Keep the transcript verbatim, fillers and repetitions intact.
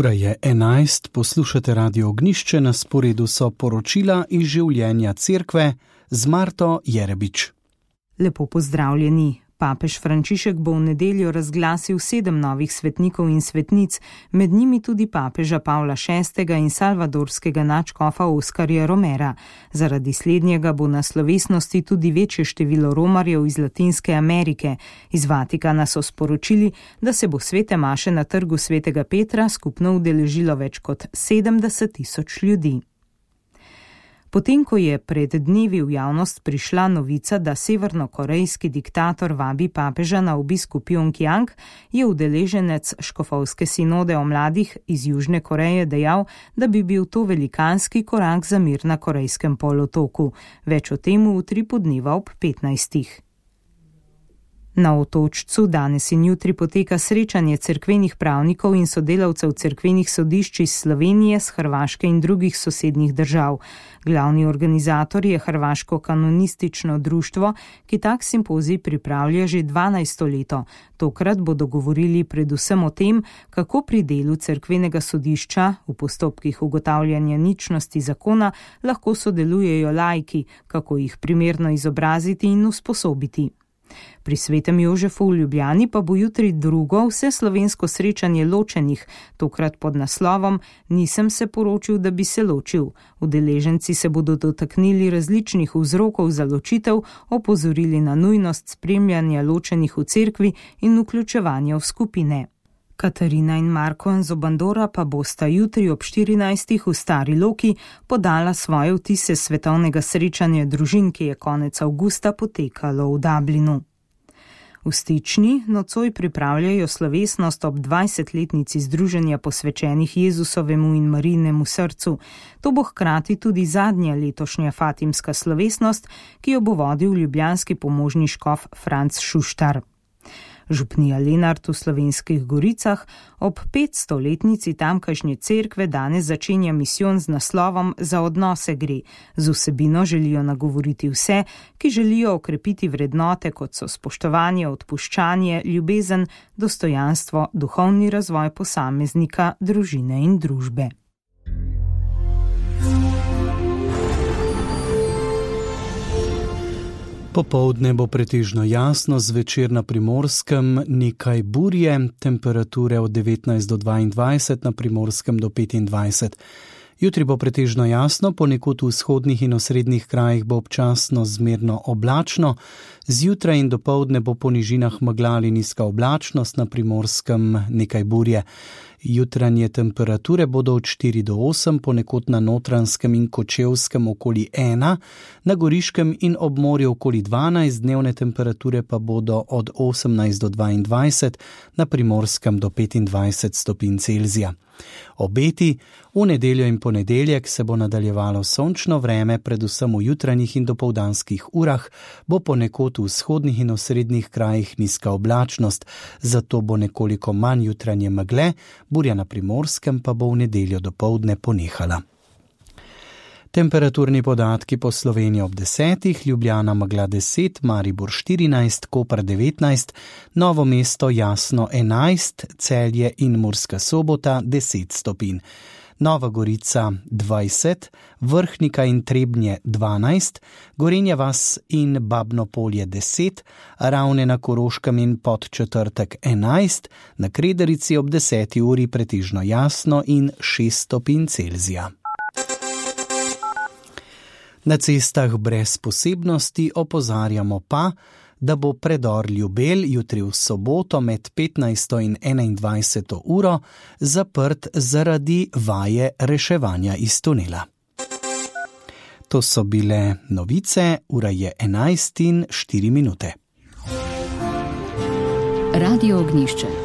Ura je enajst, poslušate Radio Ognjišče, na sporedu so poročila iz življenja cerkve z Marto Jerebič. Lepo pozdravljeni. Papež Frančišek bo v nedeljo razglasil sedem novih svetnikov in svetnic, med njimi tudi papeža Pavla šestega in salvadorskega nadškofa Oskarja Romera. Zaradi slednjega bo na slovesnosti tudi večje število romarjev iz Latinske Amerike. Iz Vatikana so sporočili, da se bo svete maše na trgu svetega Petra skupno udeležilo več kot sedemdeset tisoč ljudi. Potem, ko je pred dnevi v javnost prišla novica, da severnokorejski diktator vabi papeža na obisk v Pjongjang, je udeleženec škofovske sinode o mladih iz Južne Koreje dejal, da bi bil to velikanski korak za mir na Korejskem polotoku. Več o tem v utripu dneva ob petnajstih. Na Otočcu danes in jutri poteka srečanje cerkvenih pravnikov in sodelavcev cerkvenih sodišč iz Slovenije, s Hrvaške in drugih sosednjih držav. Glavni organizator je Hrvaško kanonistično društvo, ki tak simpozij pripravlja že dvanajsto leto. Tokrat bodo govorili predvsem o tem, kako pri delu cerkvenega sodišča v postopkih ugotavljanja ničnosti zakona lahko sodelujejo laiki, kako jih primerno izobraziti in usposobiti. Pri Svetem Jožefu v Ljubljani pa bo jutri drugo vseslovensko srečanje ločenih, tokrat pod naslovom Nisem se poročil, da bi se ločil. Udeleženci se bodo dotaknili različnih vzrokov za ločitev, opozorili na nujnost spremljanja ločenih v cerkvi in vključevanja v skupine. Katarina in Marko Anzobandora pa bosta jutri ob štirinajstih v Stari Loki podala svoje vtise svetovnega srečanja družin, ki je konec avgusta potekalo v Dublinu. V Stični nocoj pripravljajo slovesnost ob dvajsetletnici združenja posvečenih Jezusovemu in Marijinemu srcu. To bo hkrati tudi zadnja letošnja fatimska slovesnost, ki jo bo vodil ljubljanski pomožni škof Franc Šuštar. Župnija Lenart v Slovenskih Goricah ob petstoletnici tamkajšnje cerkve danes začenja misijon z naslovom Za odnose gre. Z vsebino želijo nagovoriti vse, ki želijo okrepiti vrednote, kot so spoštovanje, odpuščanje, ljubezen, dostojanstvo, duhovni razvoj posameznika, družine in družbe. Popoldne bo pretežno jasno, zvečer na Primorskem nekaj burje, temperature od devetnajst do dvaindvajset, na Primorskem do petindvajset. Jutri bo pretežno jasno, ponekod v vzhodnih in osrednjih krajih bo občasno zmerno oblačno, zjutraj in dopoldne bo po nižinah megla ali nizka oblačnost, na Primorskem nekaj burje. Jutranje temperature bodo od štiri do osem, ponekod na Notranjskem in Kočevskem okoli ena, na Goriškem in ob morju okoli dvanajst, dnevne temperature pa bodo od osemnajst do dvaindvajset, na Primorskem do petindvajset stopinj Celzija. Obeti: v nedeljo in ponedeljek se bo nadaljevalo sončno vreme, predvsem v jutranjih in dopoldanskih urah, bo ponekod v vzhodnih in osrednjih krajih nizka oblačnost, zato bo nekoliko manj jutranje megle, burja na Primorskem pa bo v nedeljo dopoldne ponehala. Temperaturni podatki po Sloveniji ob desetih, Ljubljana megla deset, Maribor štirinajst, Koper devetnajst, Novo mesto jasno enajst, Celje in Murska Sobota deset stopinj. Nova Gorica dvajset, Vrhnika in Trebnje dvanajst, Gorenja vas in Babno Polje deset, Ravne na Koroškem in Podčetrtek enajst, na Krederici ob deseti uri pretežno jasno in šest stopinj Celzija. Na cestah brez posebnosti, opozarjamo pa, da bo predor Ljubelj jutri v soboto med petnajsto in enaindvajseto uro zaprt zaradi vaje reševanja iz tunela. To so bile novice, ura je enajst in štiri minute. Radio Ognjišče.